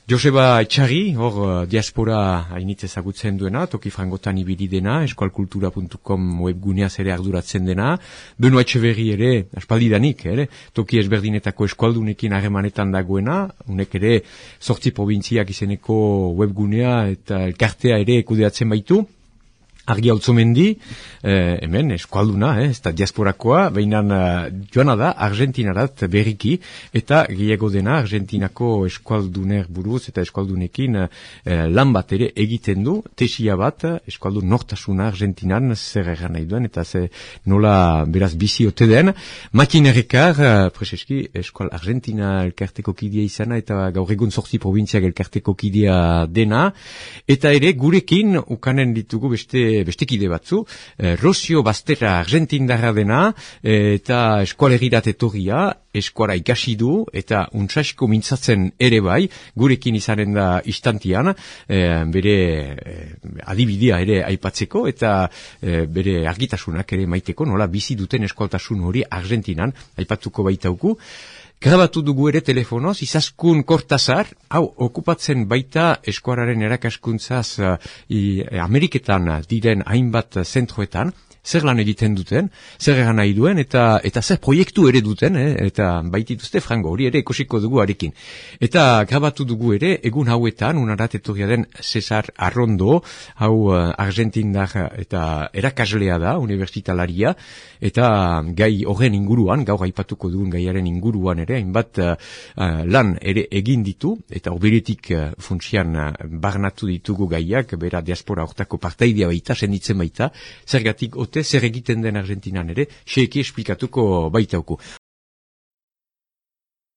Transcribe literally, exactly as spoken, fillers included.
Joseba Etxarri, hor uh, diaspora hainitz ezagutzen duena, toki frangotan ibili dena, eskualkultura puntu com webguneaz ere arduratzen dena, Beno Etxeberri ere, aspaldidanik, ere, toki ezberdinetako eskualdunekin harremanetan dagoena, unek ere zortzi probintziak izeneko webgunea eta elkartea ere kudeatzen baitu, Argi Altzomendi, eh, hemen eskualduna, eh, ez da diasporakoa, behinan uh, joana da Argentinarat berriki, eta gehiago dena Argentinako eskualduner buruz eta eskualdunekin eh, lan bat ere egiten du, tesia bat, eskualdun nortasuna Argentinan zer egan nahi duen, eta ze nola beraz bizi ote den. Makin errekar, uh, preseski, eskual Argentina elkarteko kidea izana, eta gaur egun zortzi provintziak elkarteko kidea dena, eta ere gurekin ukanen ditugu beste bestekide batzu, eh, Rosio Bastera argentindarra dena, eh, eta eskualegirat etorria, eskuara ikasi du, eta untsasko mintzatzen ere bai, gurekin izanen da istantian, eh, bere eh, adibidea ere aipatzeko, eta eh, bere argitasunak ere maiteko, nola bizi duten eskualtasun hori Argentinan, aipatuko baitauku. Grabatu dugu ere telefonoz, Izaskun Kortazar, hau, okupatzen baita eskuararen erakaskuntzaz uh, i, Ameriketan diren hainbat zentroetan, zer lan egiten duten, zer egan nahi duen, eta eta zer proiektu ere duten, eh, eta baitituzte frango, hori ere ekosiko dugu arekin. Eta grabatu dugu ere, egun hauetan, unarat etorria den Cesar Arrondo, hau uh, argentindar eta erakaslea da, unibertsitalaria, eta gai horren inguruan, gaur aipatuko dugun gaiaren inguruan ere, hainbat uh, uh, lan ere egin ditu, eta oberetik uh, funtsian uh, barnatu ditugu gaiak, bera diaspora hortako partaidea baita, senditzen baita, zergatik ote zer egiten den Argentinan ere, xeeki esplikatuko baitauku.